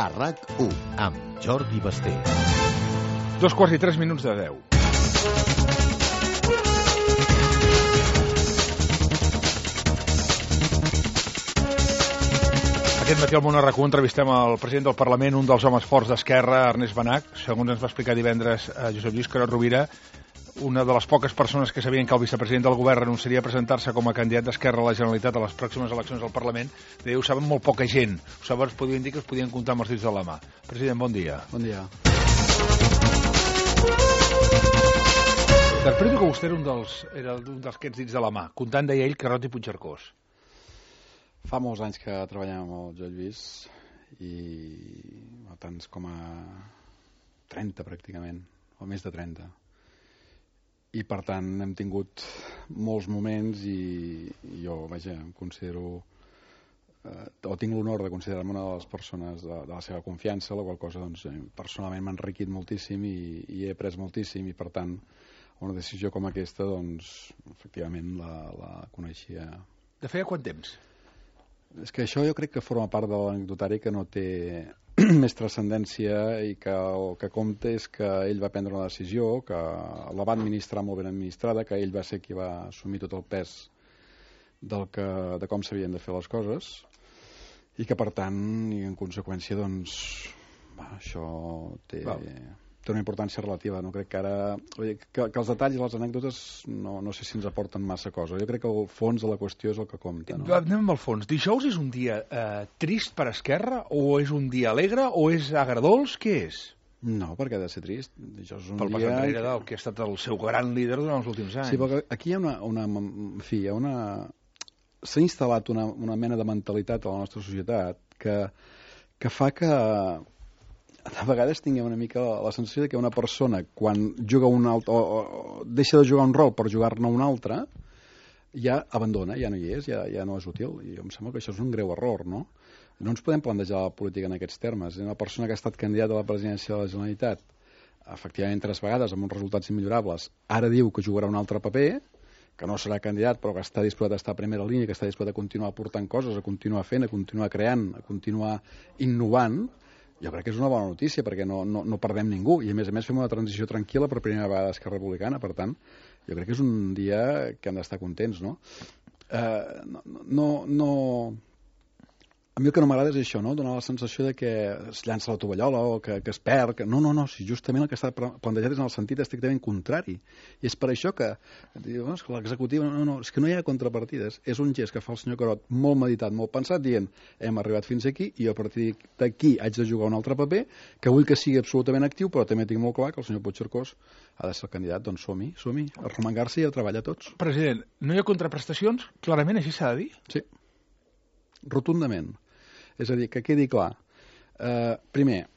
a RAC1 amb Jordi Basté. 2:03 de 10. Aquest matí al Món a RAC1 entrevistem el president del Parlament, un dels homes forts d'Esquerra, Ernest Benach. Segons ens va explicar divendres Josep Lluís Carod Rovira, una de les poques persones que sabien que el vicepresident del govern renunciaria a presentar-se com a candidat d'Esquerra a la Generalitat a les pròximes eleccions al Parlament, deia, ho saben molt poca gent. Ho saben, es podien dir que es podien comptar amb els dits de la mà. President, bon dia. Bon dia. Interpreto que vostè era un dels aquests dits de la mà, comptant, deia ell, Carod i Puigcercós. Fa molts anys que treballem amb el Josep Lluís i tants com a 30 pràcticament, o més de 30. I per tant hem tingut molts moments i jo, vaja, em considero, o tinc l'honor de considerar-me una de les persones de la seva confiança, la qual cosa doncs, personalment m'ha enriquit moltíssim i he après moltíssim i per tant una decisió com aquesta doncs efectivament la coneixia. De feia quant temps? És que això jo crec que forma part de l'anecdotari que no té més transcendència i que el que compta és que ell va prendre una decisió, que la va administrar molt ben administrada, que ell va ser qui va assumir tot el pes de com s'havien de fer les coses i que per tant i en conseqüència doncs això té una importància relativa. No crec que ara que els detalls i les anècdotes no sé si ens aporten massa cosa. Jo crec que el fons de la qüestió és el que compta. No? Anem al fons. Dijous és un dia trist per Esquerra o és un dia alegre o és agradols? Què és? No, perquè ha de ser trist. Dijous és un pel pas enrere del que ha estat el seu gran líder durant els últims anys. Sí, perquè aquí hi ha s'ha instal·lat una mena de mentalitat a la nostra societat que fa que a vegades tinguem una mica la sensació que una persona quan juga un altre o deixa de jugar un rol per jugar-ne un altre ja abandona, ja no hi és, ja no és útil i em sembla que això és un greu error, no? No ens podem plantejar la política en aquests termes. Una persona que ha estat candidata a la presidència de la Generalitat efectivament 3 vegades amb uns resultats immillorables, ara diu que jugarà un altre paper, que no serà candidat però que està disposat a estar a primera línia, que està disposat a continuar aportant coses, a continuar fent, a continuar creant, a continuar innovant. Jo crec que és una bona notícia perquè no perdem ningú i a més fem una transició tranquil·la per primera vegada a Esquerra Republicana, per tant jo crec que és un dia que hem d'estar contents, no? A mi el que no m'agrada és això, no? Donar la sensació de que es llança la tovallola o que es perd. No, si justament el que està plantejat és en el sentit estrictament contrari. I és per això que diu, és que l'executiva, és que no hi ha contrapartides. És un gest que fa el senyor Carod molt meditat, molt pensat, dient hem arribat fins aquí i a partir d'aquí haig de jugar un altre paper, que vull que sigui absolutament actiu, però també tinc molt clar que el senyor Puigcercós ha de ser el candidat, doncs som-hi, a remengar-se i a treballar tots. President, no hi ha contraprestacions? Clarament així s'ha de dir? Sí. Rotundament. És a dir, que quedi clar. Primer,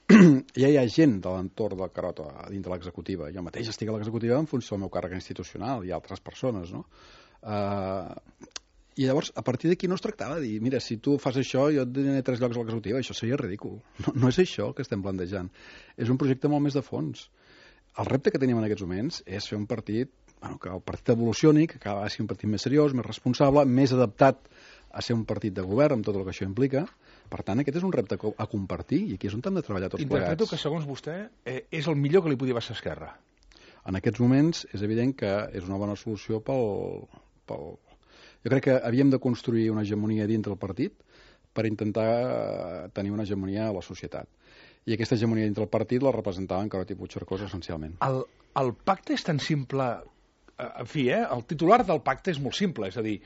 ja hi ha gent de l'entorn del Carod dintre l'executiva. Jo mateix estic a l'executiva en funció del meu càrrec institucional i altres persones, no? I llavors, a partir d'aquí no es tractava de dir mira, si tu fas això, jo et donaré 3 llocs a l'executiva. Això seria ridícul. No és això el que estem plantejant. És un projecte molt més de fons. El repte que tenim en aquests moments és fer un partit, que el partit evolucioni, que cada vegada sigui un partit més seriós, més responsable, més adaptat a ser un partit de govern amb tot el que això implica. Per tant, aquest és un repte a compartir i aquí és on hem de treballar tots plegats. Interpreto que, segons vostè, és el millor que li podia passar a Esquerra. En aquests moments és evident que és una bona solució Jo crec que havíem de construir una hegemonia dintre el partit per intentar tenir una hegemonia a la societat. I aquesta hegemonia dintre el partit la representaven Carod i Puigcercós essencialment. El pacte és tan simple... En fi, el titular del pacte és molt simple, és a dir,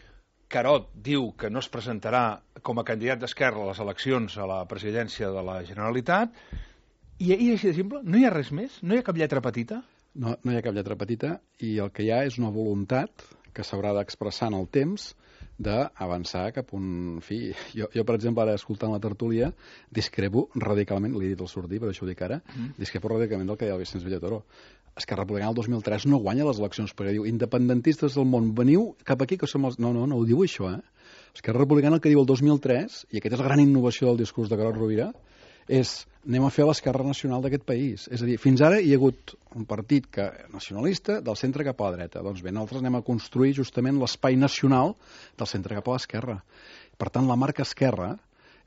Carod diu que no es presentarà com a candidat d'Esquerra a les eleccions a la presidència de la Generalitat i així de simple, no hi ha res més? No hi ha cap lletra petita? No hi ha cap lletra petita i el que hi ha és una voluntat que s'haurà d'expressar en el temps d'avançar cap a un... En fi, jo per exemple, ara escoltant la tertúlia, discrepo radicalment, l'he dit al sortir, per això ho dic ara, discrepo radicalment del que deia el Vicenç Villatoro. Esquerra Republicana el 2003 no guanya les eleccions perquè diu independentistes del món, veniu cap aquí que som els... No ho diu això, Esquerra Republicana el que diu el 2003, i aquesta és la gran innovació del discurs de Carod Rovira, és anem a fer l'esquerra nacional d'aquest país. És a dir, fins ara hi ha hagut un partit nacionalista del centre cap a la dreta. Doncs bé, nosaltres anem a construir justament l'espai nacional del centre cap a l'esquerra. Per tant, la marca esquerra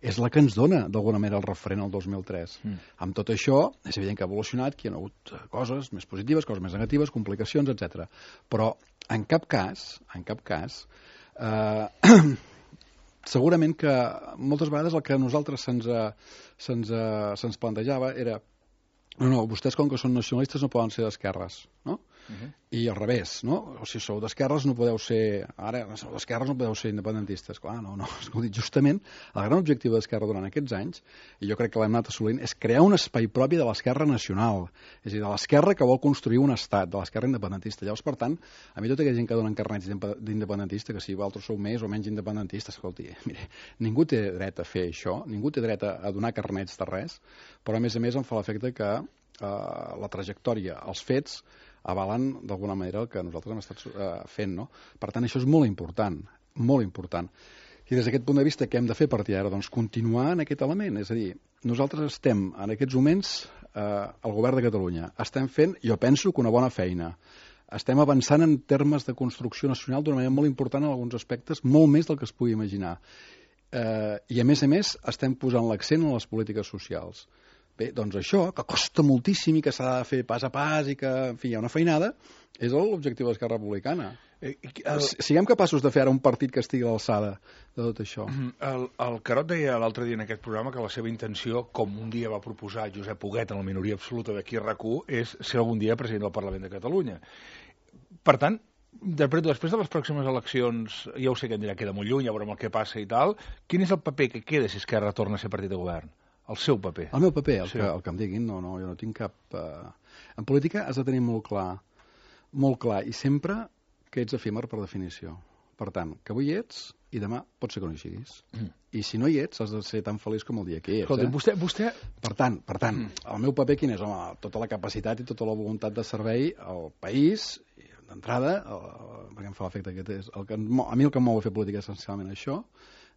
és la que ens dona, d'alguna manera, el referent al 2003. Amb tot això, és evident que ha evolucionat, que hi ha hagut coses més positives, coses més negatives, complicacions, etc. Però, en cap cas, segurament que moltes vegades el que a nosaltres se'ns plantejava era no, vostès com que són nacionalistes no poden ser d'esquerres, no? I al revés, no? O si sou d'esquerres no podeu ser... Ara, sou d'esquerres no podeu ser independentistes. Clar, no. Escolti, justament, el gran objectiu d'Esquerra durant aquests anys, i jo crec que l'hem anat assolint, és crear un espai propi de l'esquerra nacional. És a dir, de l'esquerra que vol construir un estat, de l'esquerra independentista. Llavors, per tant, a mi tota aquella gent que donen carnets d'independentista, que si vosaltres sou més o menys independentistes, escolti, mire, ningú té dret a fer això, ningú té dret a donar carnets de res, però a més em fa l'efecte que la trajectòria, els fets, avalen d'alguna manera el que nosaltres hem estat fent, no? Per tant, això és molt important, molt important. I des d'aquest punt de vista, què hem de fer a partir d'ara? Doncs continuar en aquest element, és a dir, nosaltres estem en aquests moments al govern de Catalunya, estem fent, jo penso que una bona feina, estem avançant en termes de construcció nacional d'una manera molt important en alguns aspectes, molt més del que es pugui imaginar. I a més, estem posant l'accent en les polítiques socials. Bé, doncs això, que costa moltíssim i que s'ha de fer pas a pas i que, en fi, hi ha una feinada, és l'objectiu de l'Esquerra Republicana. Siguem capaços de fer ara un partit que estigui a l'alçada de tot això. El Carod deia l'altre dia en aquest programa que la seva intenció, com un dia va proposar Josep Huguet en la minoria absoluta d'aquí a RAC1, és ser algun dia president del Parlament de Catalunya. Per tant, després de les pròximes eleccions, ja ho sé que em dirà queda molt lluny, ja veurem el que passa i tal, quin és el paper que queda si Esquerra torna a ser partit de govern? El seu paper. El meu paper, el que em diguin, no, jo no tinc cap... En política has de tenir molt clar, i sempre que ets efímer per definició. Per tant, que avui hi ets i demà pot ser que no hi siguis. I si no hi ets, has de ser tan feliç com el dia que hi ets. Escolta, vostè... Per tant, el meu paper quin és? Home, tota la capacitat i tota la voluntat de servei al país, d'entrada, perquè em fa l'efecte que és... A mi el que em mou a fer política és essencialment això,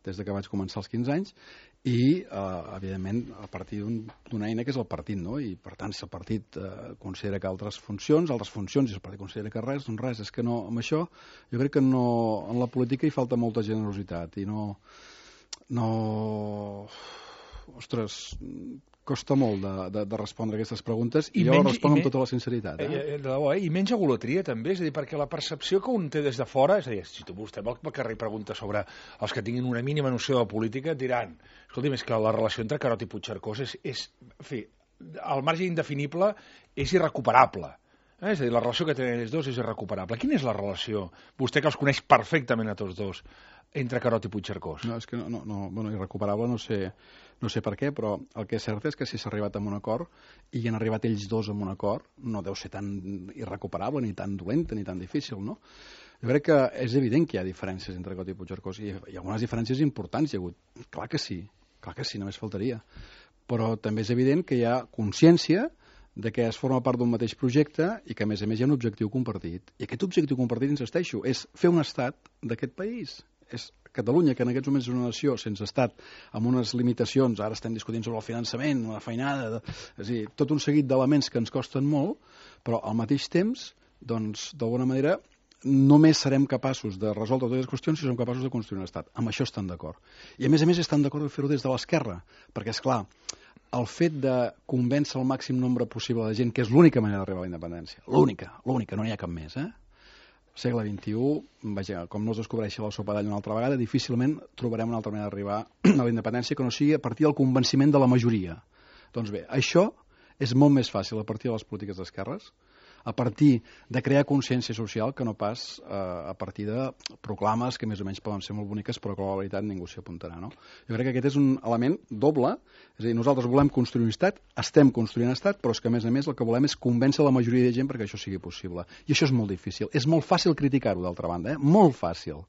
des que vaig començar als 15 anys, i, evidentment, a partir d'una eina que és el partit, no? I, per tant, si el partit considera que altres funcions, i el partit considera que res, doncs res. És que no, amb això, jo crec que no, en la política hi falta molta generositat, i no... Ostres, costa molt de respondre aquestes preguntes i jo responc amb tota la sinceritat. De debò, I menys egolatria, també, és a dir, perquè la percepció que un té des de fora, és a dir, si vostè va al carrer i pregunta sobre els que tinguin una mínima noció de política, diran, escolti'm, és que la relació entre Carod i Puigcercós és en fi, al marge indefinible és irrecuperable. És a dir, la relació que tenen ells dos és irrecuperable. Quina és la relació, vostè que els coneix perfectament a tots dos, entre Carod i Puigcercós? No, és que bueno, irrecuperable no sé per què, però el que és cert és que si s'ha arribat a un acord i hi han arribat ells dos a un acord, no deu ser tan irrecuperable, ni tan dolenta, ni tan difícil, no? Jo crec que és evident que hi ha diferències entre Carod i Puigcercós i algunes diferències importants hi ha hagut. Clar que sí, només faltaria. Però també és evident que hi ha consciència de que es forma part d'un mateix projecte i que, a més hi ha un objectiu compartit. I aquest objectiu compartit, insisteixo, és fer un estat d'aquest país. És Catalunya, que en aquests moments és una nació sense estat, amb unes limitacions, ara estem discutint sobre el finançament, una feinada, és a dir, tot un seguit d'elements que ens costen molt, però al mateix temps, doncs, d'alguna manera, només serem capaços de resoldre totes les qüestions si som capaços de construir un estat. Amb això estan d'acord. I a més estan d'acord de fer-ho des de l'esquerra, perquè, és clar, el fet de convèncer el màxim nombre possible de gent, que és l'única manera d'arribar a la independència, l'única, no n'hi ha cap més, segle XXI, vaja, com no es descobreixi la sopa d'all una altra vegada, difícilment trobarem una altra manera d'arribar a la independència que no sigui a partir del convenciment de la majoria. Doncs bé, això és molt més fàcil a partir de les polítiques d'esquerres, a partir de crear consciència social que no pas a partir de proclames que més o menys poden ser molt boniques però que a la veritat ningú s'hi apuntarà, no? Jo crec que aquest és un element doble, és a dir, nosaltres volem construir un estat, estem construint un estat, però és que a més el que volem és convèncer la majoria de gent perquè això sigui possible. I això és molt difícil. És molt fàcil criticar-ho, d'altra banda, molt fàcil.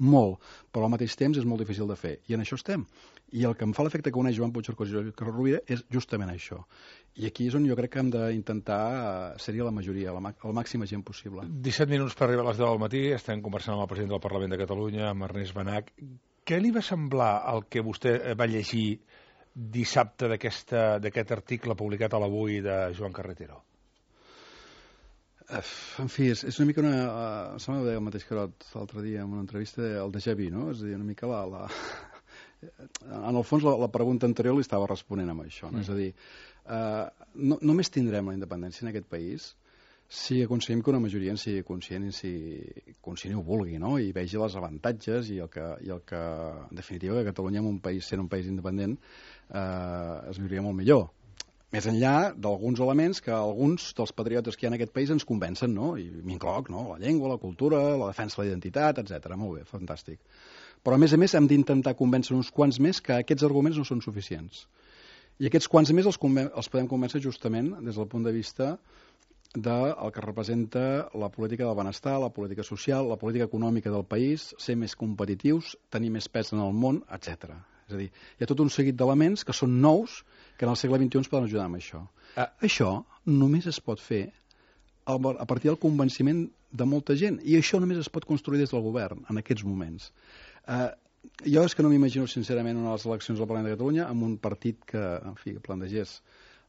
Molt, però al mateix temps és molt difícil de fer, i en això estem. I el que em fa l'efecte que uneix Joan Puigcercós i Joan Carod Rovira és justament això. I aquí és on jo crec que hem d'intentar ser-hi la majoria, la màxima gent possible. 17 minuts per arribar a les 10 del matí, estem conversant amb el president del Parlament de Catalunya, amb Ernest Benach. Què li va semblar el que vostè va llegir dissabte d'aquest article publicat a l'Avui de Joan Carretero? En fi, és una mica sembla que ho deia el mateix Carod l'altre dia en una entrevista, el déjà vu, no? És a dir, una mica En el fons, la pregunta anterior li estava responent amb això. No? És a dir, només tindrem la independència en aquest país si aconseguim que una majoria en sigui conscient i ho vulgui, no? I vegi els avantatges i el que en definitiva, que Catalunya, sent un país independent, es viuria molt millor. Més enllà d'alguns elements que alguns dels patriotes que hi ha en aquest país ens convencen, no? I m'incloc, no? La llengua, la cultura, la defensa de la identitat, etc. Molt bé, fantàstic. Però, a més, hem d'intentar convèncer uns quants més que aquests arguments no són suficients. I aquests quants més els podem convèncer justament des del punt de vista del que representa la política del benestar, la política social, la política econòmica del país, ser més competitius, tenir més pes en el món, etc. És a dir, hi ha tot un seguit d'elements que són nous que en el segle XXI ens poden ajudar amb això. Això només es pot fer a partir del convenciment de molta gent, i això només es pot construir des del govern en aquests moments. Jo és que no m'imagino sincerament unes eleccions al Parlament de Catalunya amb un partit que, en fi, plantegés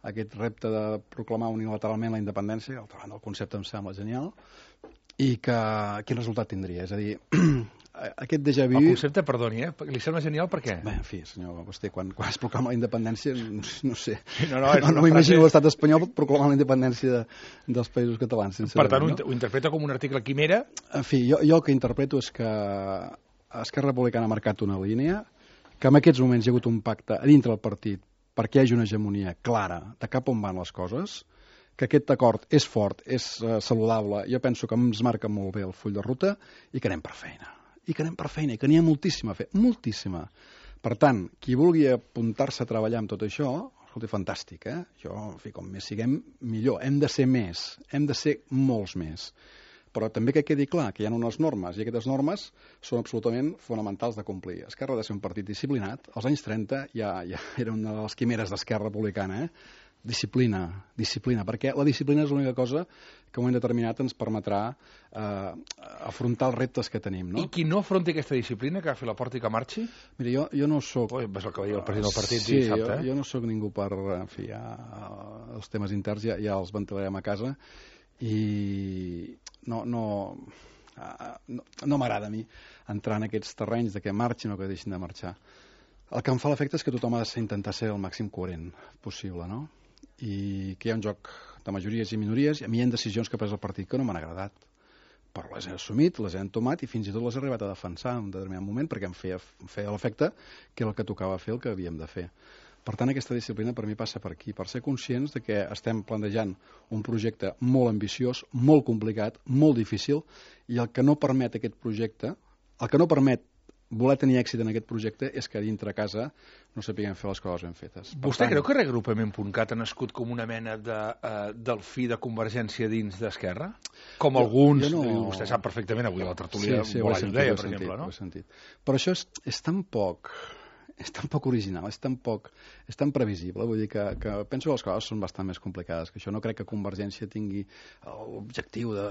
aquest repte de proclamar unilateralment la independència, al davant del concepte em sembla genial, i quin resultat tindria? És a dir, aquest déjà vu... El concepte, perdoni, li sembla genial per què? Bé, en fi, senyor Basté, quan es proclama la independència, no sé, no m'imagino l'estat espanyol proclamant la independència dels països catalans, sincerament. Per tant, ho interpreta com un article quimera? En fi, jo el que interpreto és que Esquerra Republicana ha marcat una línia, que en aquests moments hi ha hagut un pacte a dintre del partit perquè hi hagi una hegemonia clara de cap on van les coses, que aquest acord és fort, és saludable, jo penso que ens marca molt bé el full de ruta i que anem per feina. I que n'hi ha moltíssima a fer, moltíssima. Per tant, qui vulgui apuntar-se a treballar amb tot això, escolta, fantàstic, Jo, en fi, com més siguem, millor. Hem de ser més, hem de ser molts més. Però també que quedi clar que hi ha unes normes, i aquestes normes són absolutament fonamentals de complir. Esquerra ha de ser un partit disciplinat. Als anys 30 ja era una de les quimeres d'Esquerra Republicana, Disciplina, perquè la disciplina és l'única cosa que en un moment determinat ens permetrà afrontar els reptes que tenim. No? I qui no afronti aquesta disciplina, que agafi la porta i que marxi? Mira, jo no soc... Ves el que va dir el president del partit dissabte. Jo no soc ningú per... En fi, els temes interns ja els ventilarem a casa, i no m'agrada a mi entrar en aquests terrenys de que marxin o que deixin de marxar. El que em fa l'efecte és que tothom ha d'intentar ser el màxim coherent possible, no? I que hi ha un joc de majories i minories, i a mi hi ha decisions que ha pres el partit que no m'han agradat, però les he assumit, les he entomat i fins i tot les he arribat a defensar en un determinat moment perquè em feia l'efecte que era el que tocava fer, el que havíem de fer. Per tant, aquesta disciplina per mi passa per aquí, per ser conscients de que estem plantejant un projecte molt ambiciós, molt complicat, molt difícil, i el que no permet aquest projecte, el que no permet voler tenir èxit en aquest projecte és que dintre casa no sapiguem fer les coses ben fetes. Vostè creu que reagrupament.cat ha nascut com una mena del fi de Convergència dins d'Esquerra? Com alguns, vostè sap perfectament, avui a la tertúlia Bolai ho deia, per exemple, no? Ho he sentit. Però això és tan poc original, és tan previsible, vull dir que penso que les coses són bastant més complicades que això. No crec que Convergència tingui l'objectiu de...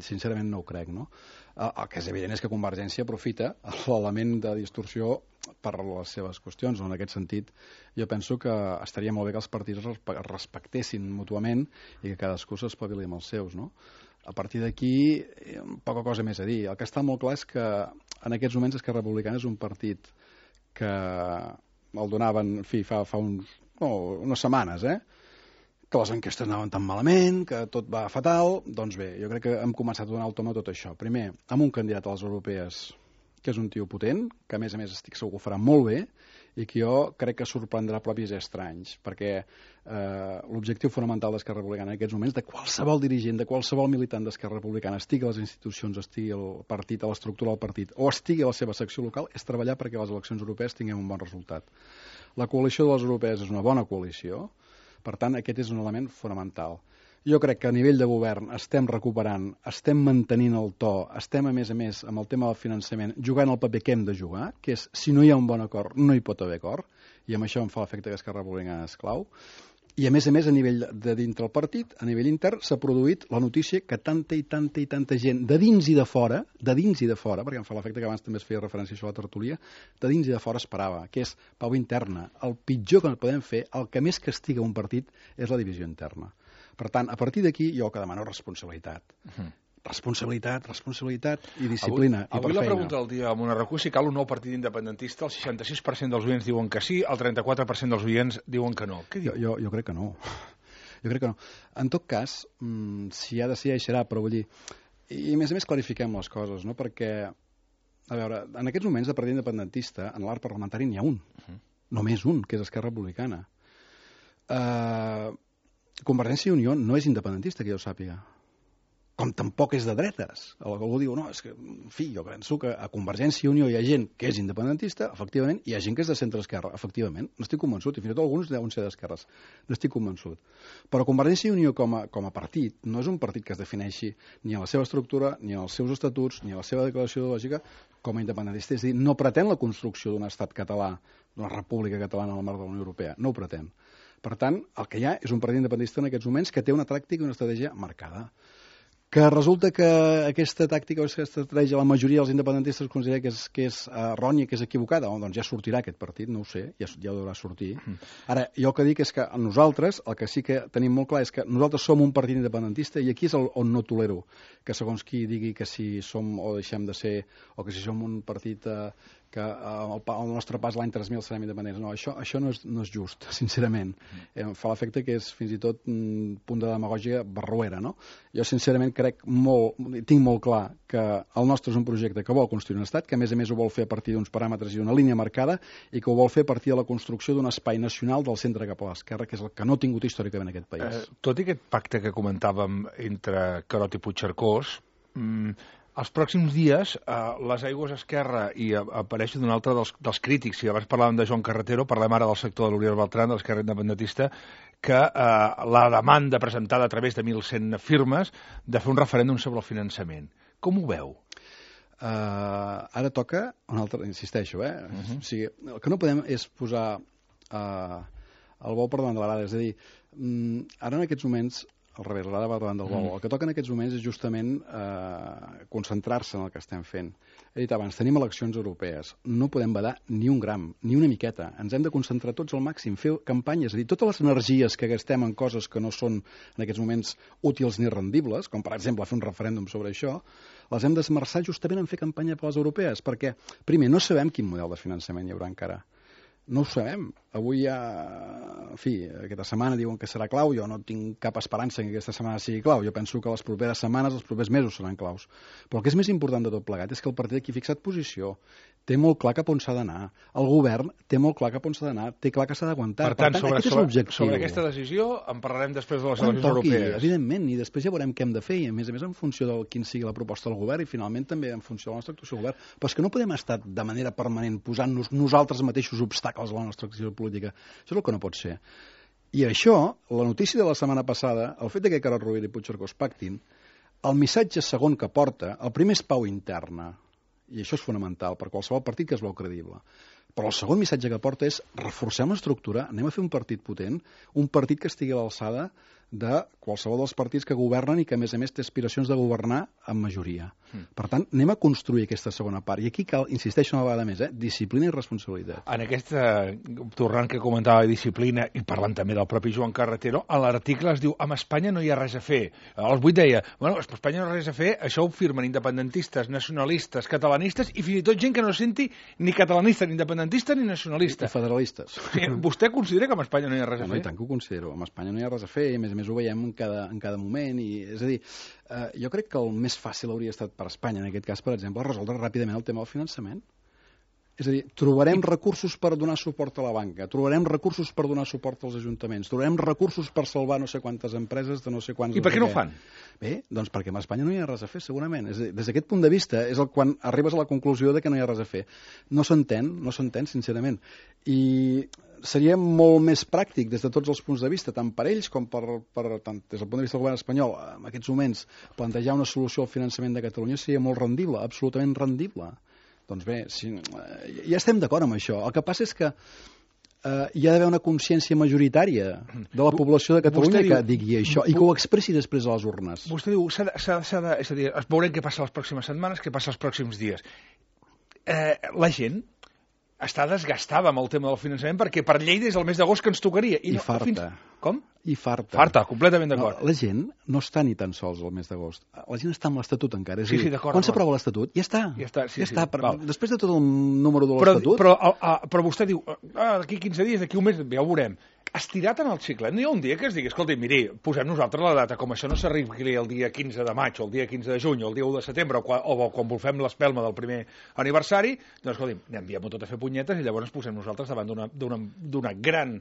Sincerament no ho crec, no? El que és evident és que Convergència aprofita l'element de distorsió per les seves qüestions. En aquest sentit, jo penso que estaria molt bé que els partits es respectessin mútuament i que cadascú s'espavili amb els seus, no? A partir d'aquí, poca cosa més a dir. El que està molt clar és que en aquests moments Esquerra Republicana és un partit que el donaven, en fi, fa unes setmanes, que les enquestes anaven tan malament, que tot va fatal. Doncs bé, jo crec que hem començat a donar el tom a tot això. Primer, amb un candidat a les europees que és un tio potent, que a més estic segur que ho farà molt bé, i que jo crec que sorprendrà propis i estranys, perquè l'objectiu fonamental d'Esquerra Republicana en aquests moments, de qualsevol dirigent, de qualsevol militant d'Esquerra Republicana, estigui a les institucions, estigui al partit, a l'estructura del partit, o estigui a la seva secció local, és treballar perquè les eleccions europees tinguem un bon resultat. La coalició de les europees és una bona coalició, per tant, aquest és un element fonamental. Jo crec que a nivell de govern estem recuperant, estem mantenint el to, estem a més amb el tema del finançament jugant el paper que hem de jugar, que és si no hi ha un bon acord no hi pot haver acord, i amb això em fa l'efecte que Esquerra Republicana és clau. I a més a nivell de dintre el partit, a nivell intern, s'ha produït la notícia que tanta gent de dins i de fora, perquè em fa l'efecte que abans també es feia referència a això a la tertúlia, de dins i de fora esperava, que és pau interna. El pitjor que podem fer, el que més castiga un partit, és la divisió interna. Per tant, a partir d'aquí, jo el que demano és responsabilitat. responsabilitat i disciplina i per avui la feina. pregunta del dia amb una recu, si cal un nou partit independentista, el 66% dels oients diuen que sí, el 34% dels oients diuen que no. Què diu? Jo crec que no. Jo crec que no. En tot cas, si ha de ser, serà, però vull dir... I a més clarifiquem les coses, no? Perquè, a veure, en aquests moments de partit independentista, en l'art parlamentari n'hi ha un. Només un, que és Esquerra Republicana. Convergència i Unió no és independentista, que jo sàpiga. Com tampoc és de dretes. Algú diu, no, és que, en fi, jo penso que a Convergència i Unió hi ha gent que és independentista, efectivament, i hi ha gent que és de centre-esquerra, efectivament. N'estic convençut, i fins i tot alguns deuen ser d'esquerres. N'estic convençut. Però Convergència i Unió com a partit no és un partit que es defineixi ni en la seva estructura, ni en els seus estatuts, ni en la seva declaració ideològica com a independentista. És a dir, no pretén la construcció d'un estat català, d'una república catalana al marc de la Unió Europea. No ho pretén. Per tant, el que hi ha és un partit independentista en aquests moments que té una tàctica i una estratègia marcada. Que resulta que aquesta tàctica o aquesta estratègia la majoria dels independentistes considera que és errònia, que és equivocada. Doncs ja sortirà aquest partit, no ho sé, ja deurà sortir. Ara, jo el que dic és que nosaltres, el que sí que tenim molt clar és que nosaltres som un partit independentista i aquí és on no tolero que segons qui digui que si som o deixem de ser o que si som un partit que al nostre pas l'any 3000 serem independents. No, això no és just, sincerament. Fa l'efecte que és fins i tot un punt de demagògia barroera, no? Jo, sincerament, tinc molt clar que el nostre és un projecte que vol construir un estat, que a més ho vol fer a partir d'uns paràmetres i d'una línia marcada i que ho vol fer a partir de la construcció d'un espai nacional del centre cap a l'esquerra, que és el que no ha tingut històricament aquest país. Tot i aquest pacte que comentàvem entre Carod i Puigcercós, els pròxims dies, les Aigües Esquerra i apareix d'un altre dels crítics. Si abans parlàvem de Joan Carretero, parlem ara del sector de l'Oriol Beltrán, de l'Esquerra Independentista, que la demanda presentada a través de 1.100 firmes de fer un referèndum sobre el finançament. Com ho veu? Ara toca un altre, insisteixo, o sigui, el que no podem és posar el bou per davant de l'arada, és a dir, ara en aquests moments al revés, l'arada va davant del bou. El que toca en aquests moments és justament concentrar-se en el que estem fent. He dit abans, tenim eleccions europees. No podem badar ni un gram, ni una miqueta. Ens hem de concentrar tots al màxim, fer campanyes. És a dir, totes les energies que gastem en coses que no són en aquests moments útils ni rendibles, com per exemple fer un referèndum sobre això, les hem d'esmerçar justament en fer campanya per les europees, perquè, primer, no sabem quin model de finançament hi haurà encara. No ho sabem. Avui ja, en fi, aquesta setmana diuen que serà clau. Jo no tinc cap esperança que aquesta setmana sigui clau. Jo penso que les properes setmanes, els propers mesos seran claus. Però el que és més important de tot plegat és que el partit aquí ha fixat posició. Té molt clar cap on s'ha d'anar. El govern té molt clar cap on s'ha d'anar. Té clar que s'ha d'aguantar. Per tant, sobre aquesta decisió en parlarem després de les eleccions europees. Evidentment, i després ja veurem què hem de fer, i a més en funció de quin sigui la proposta del govern i finalment també en funció de la nostra actuació del govern. Però és que no podem estar de manera permanent posant-nos nosaltres mateixos obstacles a la nostra acció política. Això és el que no pot ser. I això, la notícia de la setmana passada, el fet que Carod Rovira i Puigcercós pactin, el missatge segon que porta, el primer és pau interna, i això és fonamental per qualsevol partit que es veu credible. Però el segon missatge que porta és reforcem l'estructura, anem a fer un partit potent, un partit que estigui a l'alçada de qualsevol dels partits que governen i que, a més té aspiracions de governar amb majoria. Per tant, anem a construir aquesta segona part. I aquí cal, insisteixo una vegada més, disciplina i responsabilitat. En aquesta, tornant que comentava de disciplina, i parlant també del propi Joan Carretero, a l'article es diu, amb Espanya no hi ha res a fer. Als 8 deia, bueno, amb Espanya no hi ha res a fer, això ho firmen independentistes, nacionalistes, catalanistes, i fins i tot gent que no se senti ni catalanista, ni independentista, ni nacionalista. I federalistes. Vostè considera que amb Espanya no hi ha res a fer? No, i tant que ho considero. Amb Espanya no hi ha res a fer, i a més ho veiem en cada moment. És a dir, jo crec que el més fàcil hauria estat per Espanya, en aquest cas, per exemple, resoldre ràpidament el tema del finançament. És a dir, trobarem recursos per donar suport a la banca, trobarem recursos per donar suport als ajuntaments, trobarem recursos per salvar no sé quantes empreses de no sé quants... I per què no ho fan? Bé, doncs perquè amb Espanya no hi ha res a fer, segurament. És a dir, des d'aquest punt de vista és quan arribes a la conclusió de que no hi ha res a fer. No s'entén, sincerament. I seria molt més pràctic des de tots els punts de vista, tant per ells com tant des del punt de vista del govern espanyol, en aquests moments plantejar una solució al finançament de Catalunya seria molt rendible, absolutament rendible. Doncs bé, ja estem d'acord amb això. El que passa és que hi ha d'haver una consciència majoritària de la població de Catalunya que digui això i que ho expressi després a les urnes. Vostè diu, és a dir, veurem què passa les pròximes setmanes, què passa els pròxims dies. La gent està desgastada amb el tema del finançament perquè per llei des del mes d'agost que ens tocaria. I farta. Com? i farta. Farta, completament d'acord. La gent no està ni tan sols el mes d'agost. La gent està amb l'Estatut encara. És Sí, a dir, d'acord, quan s'aprova l'Estatut, ja està. Ja està, sí, ja està. val. Després de tot el número de l'Estatut... Però vostè diu, d'aquí 15 dies, d'aquí un mes, ja ho veurem. Estirat en el cicle. No hi ha un dia que es digui, escolti, miri, posem nosaltres la data, com això no s'arribi el dia 15 de maig, o el dia 15 de juny, o el dia 1 de setembre, o quan volfem l'espelma del primer aniversari, doncs, escolti, enviem-ho tot a fer punyetes i llavors ens posem nosaltres davant d'una gran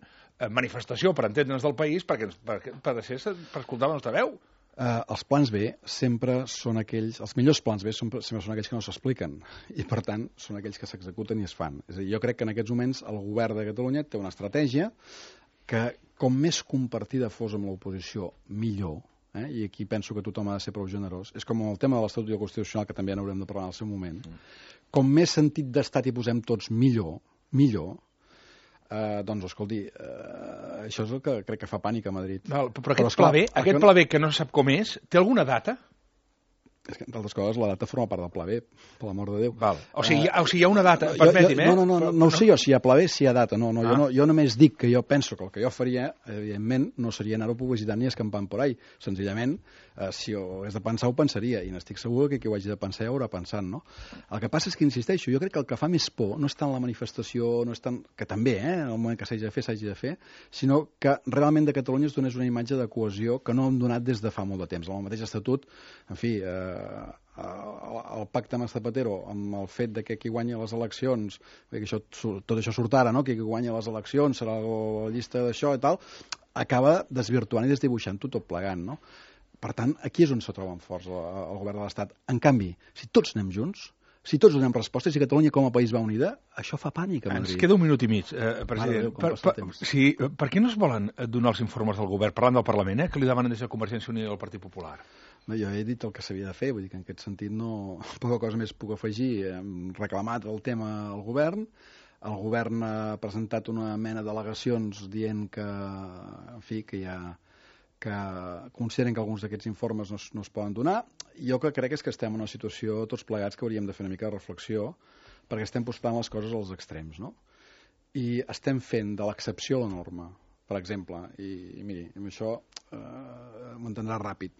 manifestació per entendre'ns del país per escoltar la nostra veu. Els plans B sempre són aquells... Els millors plans B sempre són aquells que no s'expliquen i, per tant, són aquells que s'executen i es fan. És a dir, jo crec que en aquests moments el govern de Catalunya té una estratègia que, com més compartida fos amb l'oposició, millor, i aquí penso que tothom ha de ser prou generós. És com el tema de l'Estatut Constitucional, que també n'haurem de parlar en el seu moment. Com més sentit d'estat hi posem tots, millor, doncs, escolti, això és el que crec que fa pànic a Madrid. Però aquest pla B, que no se sap com és, té alguna data? És que, entre altres coses, la data forma part del pla B, per l'amor de Déu. O sigui, hi ha una data, permeti'm, No ho sé jo, si hi ha pla B, si hi ha data. Jo només dic que jo penso que el que jo faria, evidentment, no seria anar-ho publicitant ni escampant por ahí. Senzillament, si ho hagués de pensar, ho pensaria, i n'estic segur que qui ho hagi de pensar ja ho haurà pensant, no? El que passa és que, insisteixo, jo crec que el que fa més por no és tant la manifestació, no és tant... que també, en el moment que s'hagi de fer, sinó que realment de Catalunya es donés una imatge de cohesió que no hem donat des de fa molt de temps. Amb el mateix Estatut, en fi, el pacte amb Zapatero, amb el fet de que qui guanya les eleccions, que tot això surt ara, no? Que qui guanya les eleccions serà la llista d'això i tal, acaba desvirtuant i desdibuixant-ho tot plegant, no? Per tant, aquí és on se troben forts el govern de l'Estat. En canvi, si tots anem junts, si tots donem respostes, si Catalunya com a país va unida, això fa pànic a Madrid. Ens queda un minut i mig, president. Per què no es volen donar els informes del govern, parlant del Parlament, que li demanen des de Convergència i Unió i el Partit Popular? Jo he dit el que s'havia de fer, vull dir que en aquest sentit poca cosa més puc afegir. Hem reclamat el tema al govern, el govern ha presentat una mena d'al·legacions dient que, en fi, que consideren que alguns d'aquests informes no es poden donar. Jo que crec és que estem en una situació tots plegats que hauríem de fer una mica de reflexió perquè estem postant les coses als extrems, no? I estem fent de l'excepció la norma, per exemple, i miri, amb això m'ho entendrà ràpid.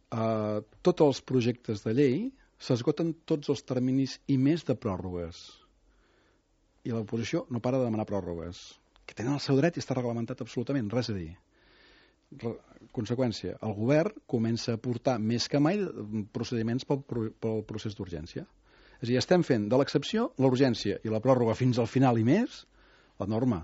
Tots els projectes de llei s'esgoten tots els terminis i més de pròrrogues. I l'oposició no para de demanar pròrrogues, que tenen el seu dret i està reglamentat absolutament, res a dir. Conseqüència, el govern comença a portar més que mai procediments pel procés d'urgència. És a dir, estem fent de l'excepció l'urgència i la pròrroga fins al final i més, la norma.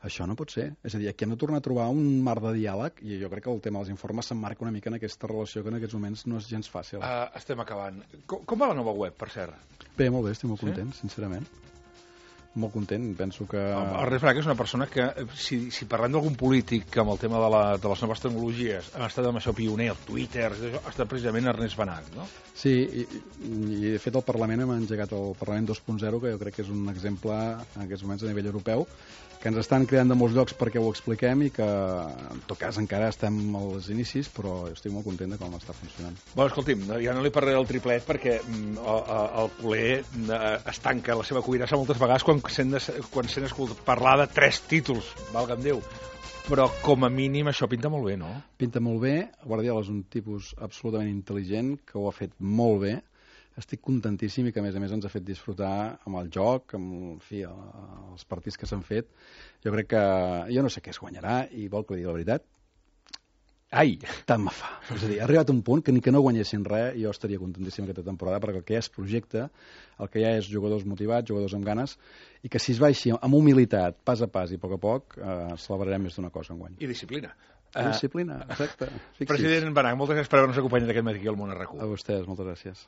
Això no pot ser. És a dir, aquí hem de tornar a trobar un marc de diàleg i jo crec que el tema dels informes s'emmarca una mica en aquesta relació que en aquests moments no és gens fàcil. Estem acabant. Com va la nova web, per cert? Bé, molt bé, estic molt content, sincerament. Molt content, penso que... El Ernest Benach és una persona que, si parlem d'algun polític amb el tema de les noves tecnologies ha estat amb això pioner, el Twitter, ha estat precisament Ernest Benach, no? Sí, i de fet el Parlament hem engegat el Parlament 2.0, que jo crec que és un exemple en aquests moments a nivell europeu, que ens estan cridant de molts llocs perquè ho expliquem i que, en tot cas, encara estem als inicis, però estic molt content de com està funcionant. Bueno, escolti'm, ja no li parlaré del triplet perquè el culer es tanca la seva cuirassa moltes vegades quan sent escoltat parlar de 3 títols, valga'm Déu. Però, com a mínim, això pinta molt bé, no? Pinta molt bé. Guardiola és un tipus absolutament intel·ligent, que ho ha fet molt bé. Estic contentíssim i que, a més ens ha fet disfrutar amb el joc, amb, en fi, els partits que s'han fet. Jo crec que... Jo no sé què es guanyarà i vol que li digui la veritat. Ai, tant me fa. És a dir, ha arribat un punt que ni que no guanyessin res jo estaria contentíssim aquesta temporada perquè el que hi ha és projecte, el que hi ha és jugadors motivats, jugadors amb ganes i que si es va així amb humilitat, pas a pas i a poc, celebrarem més d'una cosa enguany. I disciplina. Disciplina, exacte. President Benach, moltes gràcies per haver-nos acompanyat aquest matí aquí al Món a RAC1. A vostès, moltes gràcies.